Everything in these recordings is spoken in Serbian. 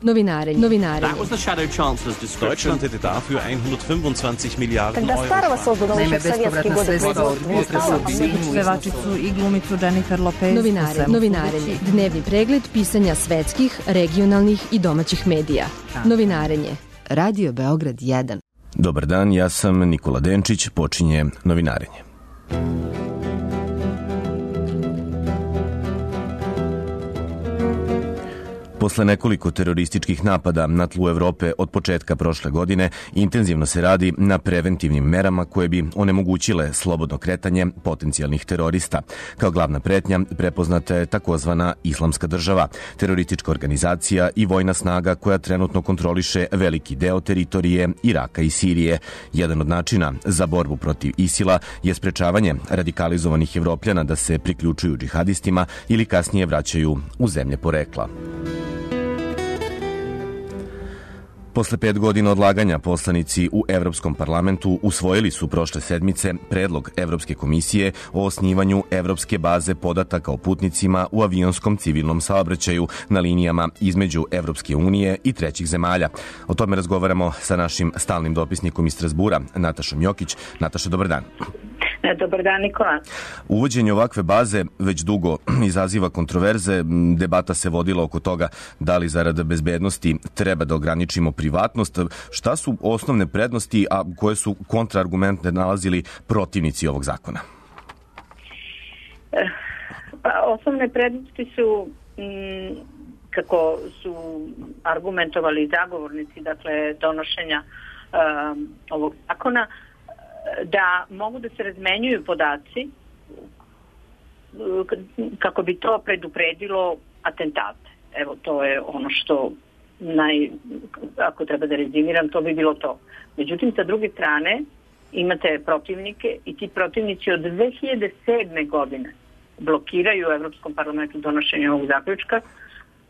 Novinarenje. That was the Shadow Chancellor's description. Deutschland hätte dafür 125 Milijarden Когда Старого создано еще в советские годы Pevačicu i glumicu Jennifer Lopez. Novinarenje. Dnevni pregled pisanja svetskih, regionalnih i domaćih medija. Novinarenje. Radio Beograd 1. Dobar dan, ja sam Nikola Denčić, počinje Novinarenje. Posle nekoliko terorističkih napada na tlu Evrope od početka prošle godine, intenzivno se radi na preventivnim merama koje bi onemogućile slobodno kretanje potencijalnih terorista. Kao glavna pretnja prepoznata je takozvana Islamska država, teroristička organizacija i vojna snaga koja trenutno kontroliše veliki deo teritorije Iraka i Sirije. Jedan od načina za borbu protiv ISIL-a je sprečavanje radikalizovanih Evropljana da se priključuju džihadistima ili kasnije vraćaju u zemlje porekla. Posle 5 godina odlaganja poslanici u Evropskom parlamentu usvojili su prošle sedmice predlog Evropske komisije o osnivanju Evropske baze podataka o putnicima u avionskom civilnom saobraćaju na linijama između Evropske unije i trećih zemalja. O tome razgovaramo sa našim stalnim dopisnikom iz Strazbura, Natašom Jokić. Nataša, dobar dan. Dobar dan, Nikola. Uvođenje ovakve baze već dugo izaziva kontroverze. Debata se vodila oko toga da li zarad bezbednosti treba da ograničimo privatnost. Šta su osnovne prednosti, a koje su kontraargumente nalazili protivnici ovog zakona? Osnovne prednosti su, kako su argumentovali zagovornici, dakle, donošenja ovog zakona, da mogu da se razmenjuju podaci kako bi to predupredilo atentate. Evo, to je ono što ako treba da rezimiram, to bi bilo to. Međutim, sa druge strane, imate protivnike i ti protivnici od 2007. godine blokiraju u Evropskom parlamentu donošenje ovog zaključka,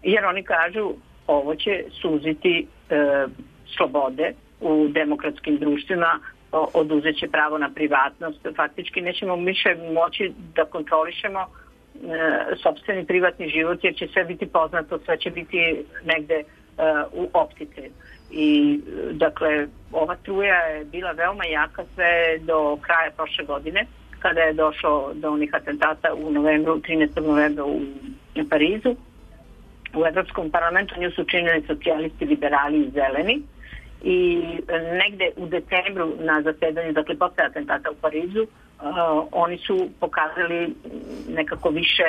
jer oni kažu ovo će suziti slobode u demokratskim društvima, oduzet će pravo na privatnost. Faktički nećemo više moći da kontrolišemo sopstveni privatni život, jer će sve biti poznato, sve će biti negde u opticaju. I dakle, ova struja je bila veoma jaka sve do kraja prošle godine, kada je došlo do onih atentata u novembru, 13. novembra u Parizu. U Evropskom parlamentu nju su činili socijalisti, liberali i zeleni. I negde u decembru na zasedanju, dakle posle atentata u Parizu, oni su pokazali nekako više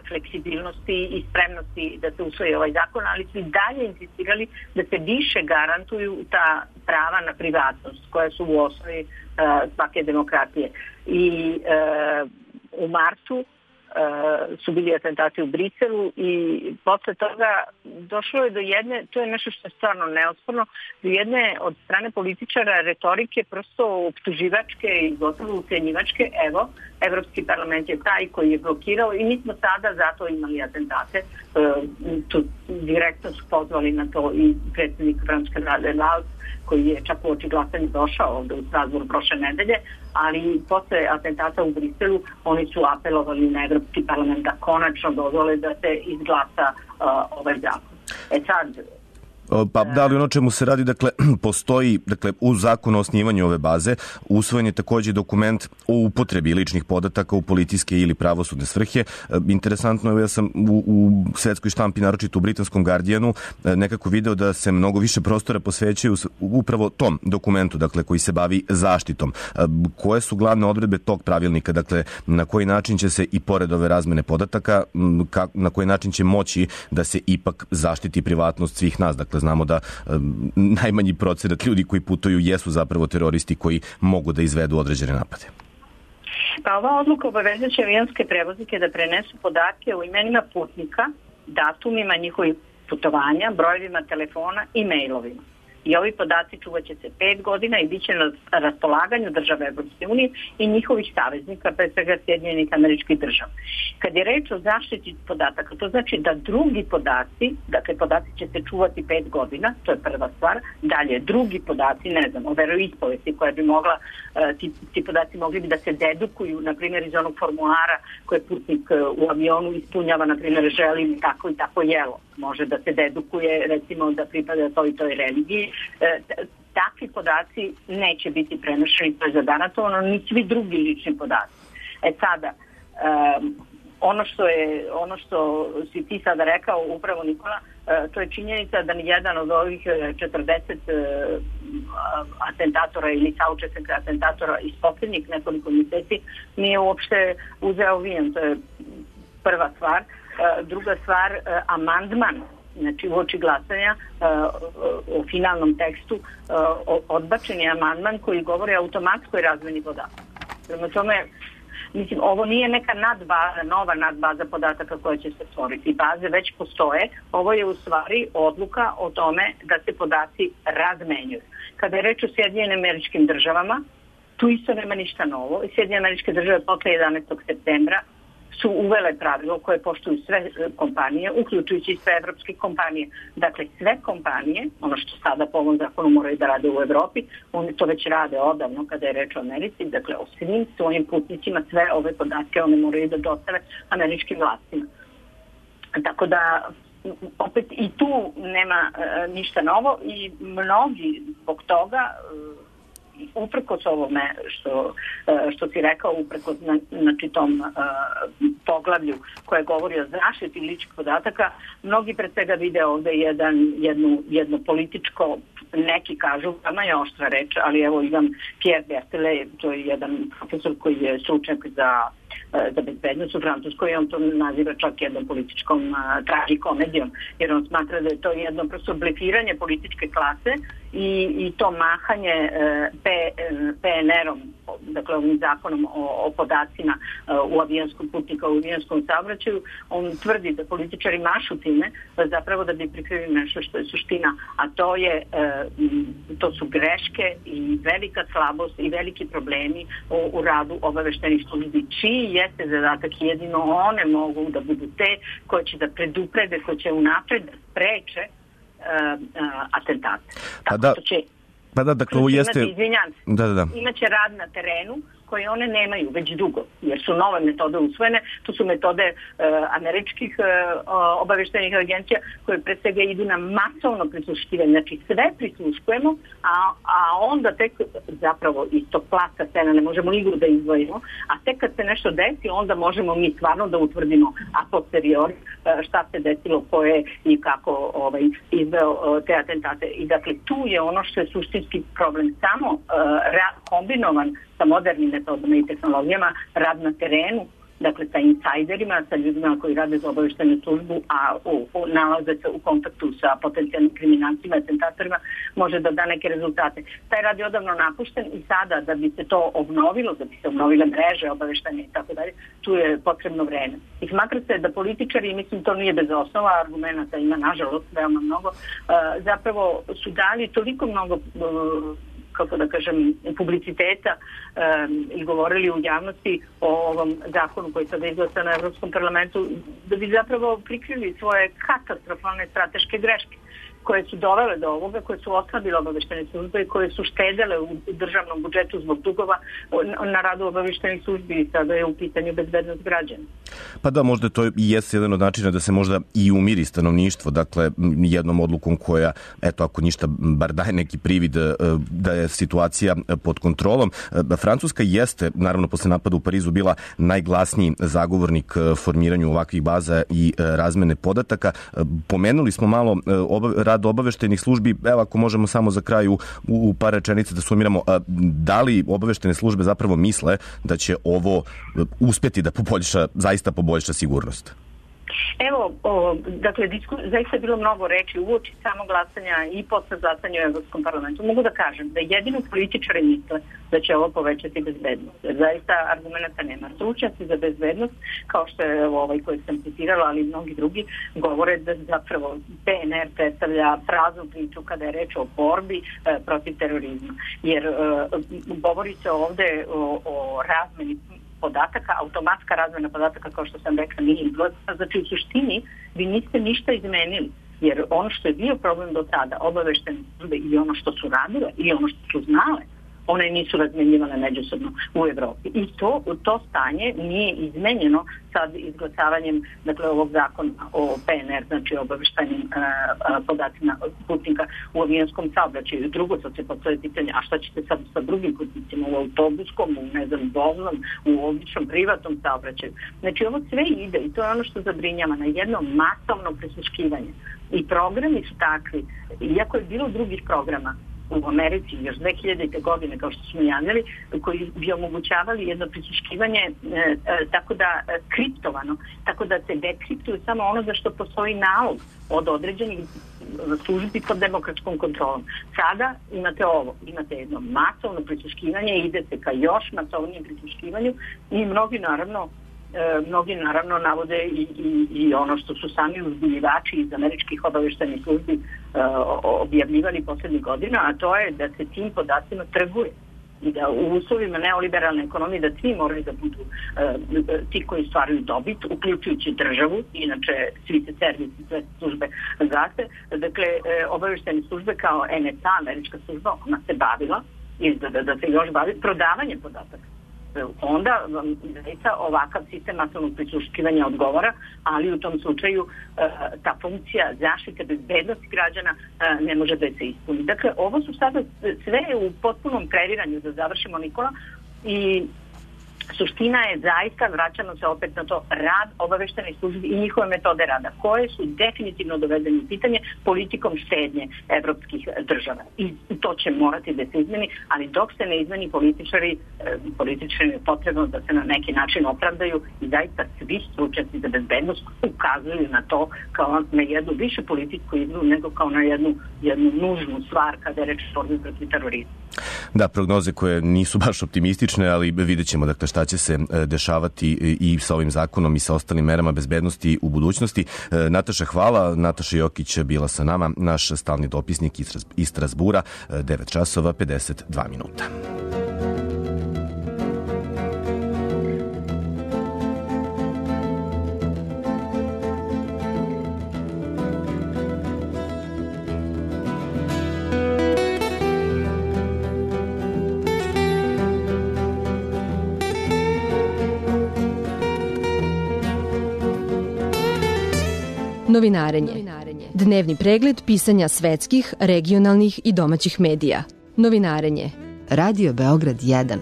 fleksibilnosti i spremnosti da se usvoji ovaj zakon, ali su i dalje insistirali da se više garantuju ta prava na privatnost koja su u osnovi svake demokratije. I u martu su bili atentati u Briselu i posle toga došlo je do jedne, to je nešto što je stvarno neosporno, do jedne od strane političara retorike prosto optuživačke i gotovo ucenjivačke. Evo, Evropski parlament je taj koji je blokirao i mi smo sada zato imali atentate. Tu direktno su pozvali na to i predsjednik Francuske vlade Valls, koji je čak u oči glasanja došao ovde u Strasbourg prošle nedelje, ali posle atentata u Briselu oni su apelovali na Evropski parlament da konačno dozvole da se izglasa ovaj zakon. Sad, Pa da li ono čemu se radi, dakle, postoji, dakle, u zakonu o osnivanju ove baze usvojen je takođe dokument o upotrebi ličnih podataka u policijske ili pravosudne svrhe. Interesantno je, ja sam u svetskoj štampi, naročito u britanskom Guardianu, nekako video da se mnogo više prostora posvećaju upravo tom dokumentu, dakle, koji se bavi zaštitom. Koje su glavne odredbe tog pravilnika, dakle, na koji način će se i pored ove razmene podataka, na koji način će moći da se ipak zaštiti privatnost svih nas, dakle, znamo da najmanji procenat ljudi koji putuju jesu zapravo teroristi koji mogu da izvedu određene napade. Pa ova odluka obavezaće avionske prevoznike da prenesu podatke o imenima putnika, datumima njihovih putovanja, brojevima telefona i mailovima. I ovi podaci čuvat će se 5 godina i bit će na raspolaganju države Evropske unije i njihovih saveznika, pre svega Sjedinjenih Američkih Država. Kad je reč o zaštiti podataka, to znači da drugi podaci, dakle podaci će se čuvati 5 godina, to je prva stvar. Dalje, drugi podaci, ne znam, o veroispovesti koja bi mogla, ti podaci mogli bi da se dedukuju, na primjer iz onog formulara koje putnik u avionu ispunjava, na primjer želim tako i tako jelo. Može da se dedukuje, recimo da pripada toj religiji. Takvi podaci neće biti prenošeni, to je zagarantovano, ni svi drugi lični podaci. Sada, ono što si ti sada rekao, upravo Nikola, to je činjenica da ni jedan od ovih 40 atentatora ili saučesnika atentatora iz posljednjih nekoliko mjeseci nije uopšte uzeo avion. To je prva stvar. Druga stvar, amandman, znači uoči glasanja o finalnom tekstu, odbačen je amandman koji govori o automatskoj razmeni podataka. Prema tome, mislim, ovo nije neka nadbaza, nova nadbaza podataka koja će se stvoriti. Baze već postoje. Ovo je u stvari odluka o tome da se podaci razmenjuju. Kada je reč o Sjedinjenim Američkim Državama, tu isto nema ništa novo. Sjedinjene Američke Države posle 11. septembra su uvele pravilo koje poštuju sve kompanije, uključujući i sve evropske kompanije. Dakle, sve kompanije, ono što sada po ovom zakonu moraju da rade u Evropi, oni to već rade odavno kada je reč o Americi, dakle o svim svojim putnicima sve ove podatke one moraju da dostave američkim vlastima. Tako da, opet i tu nema ništa novo i mnogi zbog toga, uprkos ovome što si rekao, uprkos znači tom poglavlju koje govori o zaštiti ličnih podataka, mnogi pred svega vide ovde jedno političko, neki kažu, vama je oštra reč, ali evo Ivan Pierre Berthellet, to je jedan profesor koji je stručnjak za bezbednost u Francuskoj i on to naziva čak jednom političkom tragikomedijom, jer on smatra da je to jedno prosto blefiranje političke klase i to mahanje PNR-om, dakle ovim zakonom o podacima u avijonskom putnika, u avijonskom saobraćaju. On tvrdi da političari mašu time zapravo da bi prikrili nešto što je suština, a to su greške i velika slabost i veliki problemi u radu obaveštenih službi, čiji jeste zadatak, jedino one mogu da budu te koje će da preduprede, koje će unapred da spreče atentate. Dakle, ovo jeste... Imaće rad na terenu koje one nemaju već dugo, jer su nove metode usvojene. To su metode američkih obaveštajnih agencija koje pre svega idu na masovno prisluškivanje. Znači sve prisluškujemo, a onda tek zapravo iz tog plasta scena ne možemo igru da izdvojimo, a tek kad se nešto desi, onda možemo mi stvarno da utvrdimo a posteriori šta se desilo, ko je i kako izveo te atentate. I dakle tu je ono što je suštinski problem, samo kombinovan sa modernim metodama i tehnologijama, rad na terenu, dakle sa insajderima, sa ljudima koji rade za obaveštajnu službu, a nalaze se u kontaktu sa potencijalnim kriminalcima, atentatorima, može da da neke rezultate. Taj rad je odavno napušten i sada da bi se to obnovilo, da bi se obnovile mreže obaveštajne i tako dalje, tu je potrebno vreme. I smatra se da političari, mislim to nije bez osnova, argumenta ima nažalost veoma mnogo, zapravo su dali toliko mnogo kako da kažem, publiciteta i govorili u javnosti o ovom zakonu koji sada izglasa na Evropskom parlamentu, da bi zapravo prikrili svoje katastrofalne strateške greške koje su dovele do ovoga, koje su oslabile obaveštajne službe i koje su štedele u državnom budžetu zbog dugova na radu obaveštajnih službi i sada je u pitanju bezbednost građana. Pa da, možda to i jeste jedan od načina da se možda i umiri stanovništvo, dakle jednom odlukom koja, eto ako ništa, bar daje neki privid da je situacija pod kontrolom. Francuska jeste, naravno posle napada u Parizu, bila najglasniji zagovornik formiranju ovakvih baza i razmene podataka. Pomenuli smo malo rad obaveštajnih službi, evo ako možemo samo za kraju u par rečenica da sumiramo, da li obaveštajne službe zapravo misle da će ovo uspeti da zaista poboljša sigurnost? Evo, dakle, zaista je bilo mnogo reči uoči samog glasanja i posle glasanja u Evropskom parlamentu. Mogu da kažem da jedino političari misle da će ovo povećati bezbednost. Zaista argumenta nema. Stručnjaci za bezbednost, kao što je ovaj koji sam citirala, ali i mnogi drugi, govore da zapravo PNR predstavlja praznu priču kada je reč o borbi protiv terorizma. Jer govori se ovde o razmeni podataka, automatska razmena podataka, kao što sam rekla, nije izgledna. Znači, u suštini, vi niste ništa izmenili, jer ono što je bio problem do tada, obaveštene službe ili ono što su radile, ili ono što su znale, one nisu razmenjivane međusobno u Evropi. I to stanje nije izmenjeno sad izglasavanjem, dakle, ovog zakona o PNR, znači obaveštajnim podacima putnika u avionskom saobraćaju. Drugo, sad se postoje pitanje, a šta ćete sad sa drugim putnicima u autobuskom, u voznom, u običnom privatnom saobraćaju. Znači, ovo sve ide i to je ono što zabrinjava na jedno masovno prisluškivanje. I programi su takvi, iako je bilo drugih programa u Americi još 2000. godine, kao što smo javljali, koji bi omogućavali jedno prisluškivanje tako da kriptovano, tako da se dekriptuje samo ono za što postoji nalog od određenih službi pod demokratskom kontrolom. Sada imate ovo, imate jedno masovno prisluškivanje, ide se ka još masovnijem prisluškivanju i mnogi naravno navode i ono što su sami uzbunjivači iz američkih obaveštajnih službi objavljivali poslednjih godina, a to je da se tim podacima trguje i da u uslovima neoliberalne ekonomije da svi moraju da budu ti koji stvaraju dobit, uključujući državu, inače svi se servisi, sve službe gase. Dakle, obaveštajne službe kao NSA, američka služba, ona se bavila i da se još bavi prodavanjem podataka. Onda zaista ovakav sistem masovnog prisluškivanja odgovara, ali u tom slučaju ta funkcija zaštite bezbednosti građana ne može da se ispuni. Dakle, ovo su sada sve u potpunom kreiranju, da završimo, Nikola, i suština je zaista, vraćamo se opet na to, rad obaveštajnih službi i njihove metode rada, koje su definitivno dovedene u pitanje politikom štednje evropskih država. I to će morati da se izmeni, ali dok se ne izmeni političari je potrebno da se na neki način opravdaju i zaista svi stručnjaci za bezbednost ukazuju na to kao na jednu više političku igru nego kao na jednu nužnu stvar kada je reč o borbi protiv terorizma. Da, prognoze koje nisu baš optimistične, ali vidjet ćemo dakle šta će se dešavati i sa ovim zakonom i sa ostalim merama bezbednosti u budućnosti. Nataša, hvala. Nataša Jokić bila sa nama, naš stalni dopisnik iz Strazbura, 9 časova 52 minuta. Novinarenje. Dnevni pregled pisanja svetskih, regionalnih i domaćih medija. Novinarenje. Radio Beograd 1.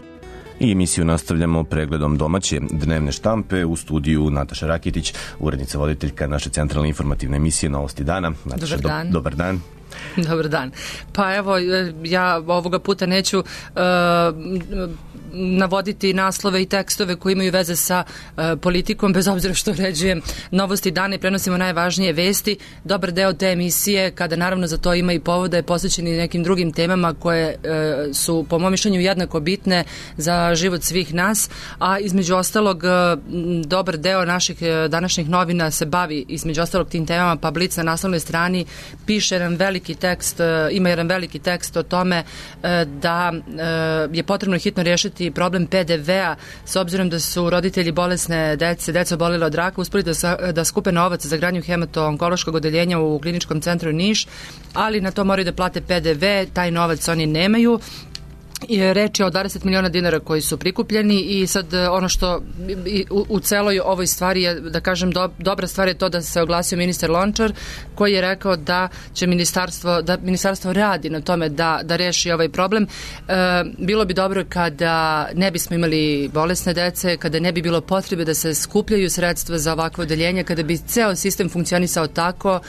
I emisiju nastavljamo pregledom domaće dnevne štampe. U studiju Nataša Rakitić, urednica voditeljka naše centralne informativne emisije Novosti dana. Nataša, dobar dan. Dobar dan. Pa evo, ja ovoga puta neću navoditi naslove i tekstove koji imaju veze sa politikom, bez obzira što uređujem Novosti dana i prenosimo najvažnije vesti. Dobar deo te emisije, kada naravno za to ima i povoda, je posvećen i nekim drugim temama koje su po mom mišljenju jednako bitne za život svih nas, a između ostalog dobar deo naših današnjih novina se bavi između ostalog tim temama, pa Blic na naslovnoj strani piše jedan veliki tekst, ima jedan veliki tekst o tome da je potrebno hitno rješiti problem PDV-a, s obzirom da su roditelji bolesne deca obolele od raka uspeli da skupe novac za gradnju hemato-onkološkog odeljenja u kliničkom centru Niš, ali na to moraju da plate PDV, taj novac oni nemaju. Reč je o 20 miliona dinara koji su prikupljeni i sad ono što u celoj ovoj stvari je, da kažem, dobra stvar je to da se oglasio ministar Lončar koji je rekao da će ministarstvo radi na tome da reši ovaj problem. Bilo bi dobro kada ne bismo imali bolesne dece, kada ne bi bilo potrebe da se skupljaju sredstva za ovakvo odeljenje, kada bi ceo sistem funkcionisao tako.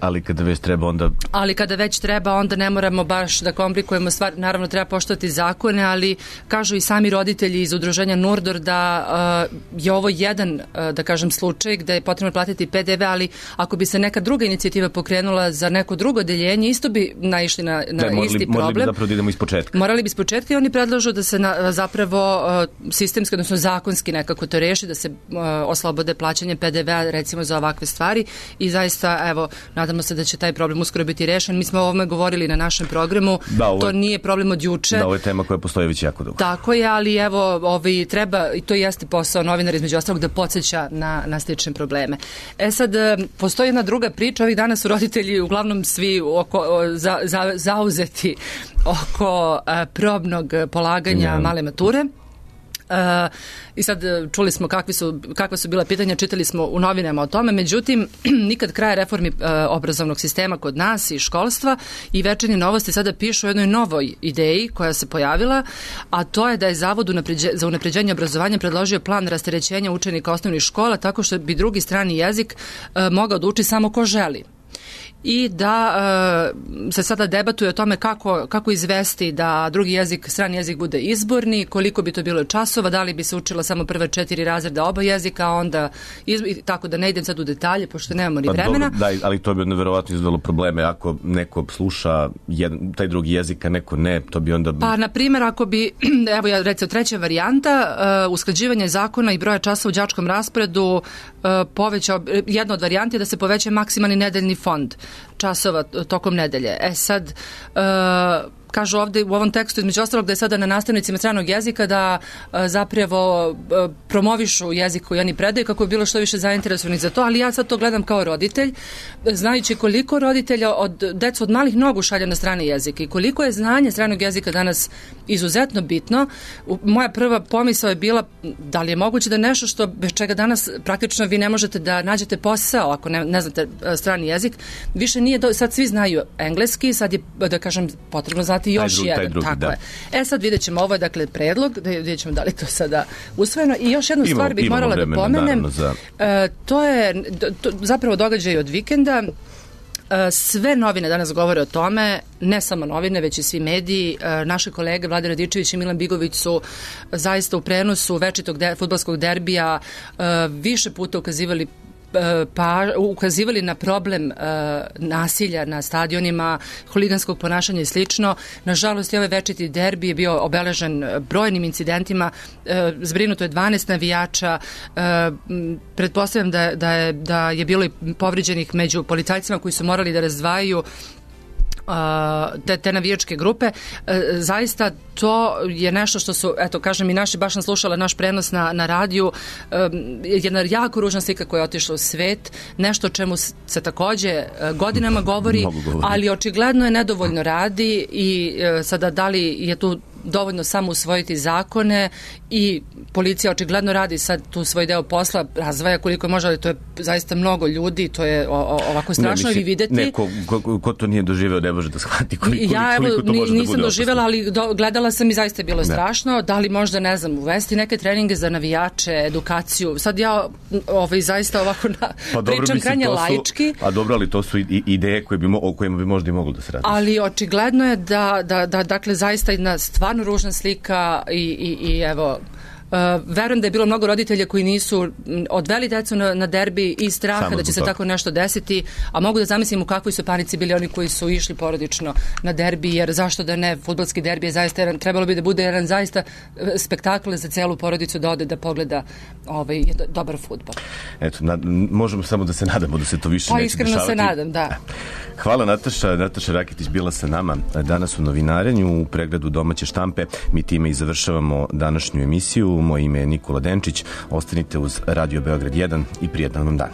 Ali kada već treba onda... Ali kada već treba, onda ne moramo baš da komplikujemo stvar. Naravno, treba poštovati poštovati zakone, ali kažu i sami roditelji iz udruženja Nurdor da je ovo jedan, da kažem, slučaj gde je potrebno platiti PDV, ali ako bi se neka druga inicijativa pokrenula za neko drugo odeljenje, isto bi naišli na isti problem. Morali bi zapravo da idemo iz početka. Morali bi iz početka i oni predlažu da se zapravo sistemski, odnosno zakonski nekako to reši, da se oslobode plaćanje PDV-a recimo za ovakve stvari i zaista, evo, nadamo se da će taj problem uskoro biti rešen. Mi smo o ovome govorili na našem programu, to nije problem od juče. Da, ovo je tema koja postoji već jako dugo. Tako je, ali evo, treba, i to jeste posao novinara između ostalog, da podsjeća na slične probleme. Sad, postoji jedna druga priča, ovih dana su roditelji uglavnom svi zauzeti oko probnog polaganja male mature. I sad čuli smo kakva su bila pitanja, čitali smo u novinama o tome, međutim nikad kraja reformi obrazovnog sistema kod nas i školstva i Večernje novosti sada pišu o jednoj novoj ideji koja se pojavila, a to je da je Zavod za unapređenje obrazovanja predložio plan rasterećenja učenika osnovnih škola tako što bi drugi strani jezik mogao da uči samo ko želi. I da se sada debatuje o tome kako izvesti da drugi jezik, strani jezik bude izborni, koliko bi to bilo časova, da li bi se učila samo prve 4 razreda oba jezika, a onda tako da ne idem sad u detalje, pošto nemamo ni vremena. Dobro, da, ali to bi onda verovatno izvelo probleme ako neko sluša taj drugi jezik, a neko ne, to bi onda... Pa, na primjer, ako bi, evo ja recimo treća varijanta, usklađivanje zakona i broja časa u đačkom rasporedu povećao, jedna od varijanti je da se poveća maksimalni nedeljni fond časova tokom nedelje. Sad, kažu ovde u ovom tekstu između ostalog da je sada na nastavnicima stranog jezika da zapravo promovišu jezik koji oni predaju kako je bilo što više zainteresovanih za to, ali ja sad to gledam kao roditelj, znajući koliko roditelja decu od malih nogu šalje na strane jezike i koliko je znanje stranog jezika danas izuzetno bitno. Moja prva pomisao je bila da li je moguće da nešto što bez čega danas praktično vi ne možete da nađete posao ako ne znate strani jezik, više nije, sad svi znaju engleski, sad je, da kažem, potrebno znati još jedan. Tako je. Sad vidjet ćemo, ovo je dakle predlog, da vidjet ćemo da li to sada usvojeno. I još jednu stvar bih morala da pomenem. To je zapravo događaj od vikenda. Sve novine danas govore o tome, ne samo novine, već i svi mediji. Naše kolege Vlada Radičević i Milan Bigović su zaista u prenosu večitog fudbalskog derbija više puta ukazivali na problem nasilja na stadionima, huliganskog ponašanja i slično. Nažalost, i ovaj večiti derbi je bio obeležen brojnim incidentima. Zbrinuto je 12 navijača. Pretpostavljam da je bilo i povrijeđenih među policajcima koji su morali da razdvajaju te navijačke grupe. Zaista to je nešto što su, eto kažem, i naši baš sam slušala naš prenos na radiju, jedna jako ružna slika koja je otišla u svet, nešto o čemu se takođe godinama govori, ali očigledno je nedovoljno radi i sada da li je tu dovoljno samo usvojiti zakone i policija očigledno radi sad tu svoj deo posla, razvaja koliko može, ali to je zaista mnogo ljudi, to je ovako strašno i videti. Neko ko to nije doživeo ne može da shvati koliko to može da bude. Ja nisam doživela, ali gledala sam i zaista je bilo strašno. Da li možda, ne znam, uvesti neke treninge za navijače, edukaciju. Sad ja zaista ovako pričam krajnje laički. A dobro, ali to su ideje o kojima bi možda i moglo da se radi. Ali očigledno je da dakle zaista jedna stvarno ružna slika i evo, verujem da je bilo mnogo roditelja koji nisu odveli decu na derbi i straha da će se tako nešto desiti, a mogu da zamislim u kakvoj su panici bili oni koji su išli porodično na derbi, jer zašto da ne, fudbalski derbi je zaista trebalo bi da bude jedan zaista spektakl za celu porodicu da ode da pogleda dobar fudbal. Eto, možemo samo da se nadamo da se to više neće dešavati. Iskreno se nadam, da. Hvala Nataša Raketić bila sa nama danas u Novinarenju u pregledu domaće štampe. Mi time i završavamo današnju emisiju. Moje ime je Nikola Denčić. Ostanite uz Radio Beograd 1 i prijetan vam dan.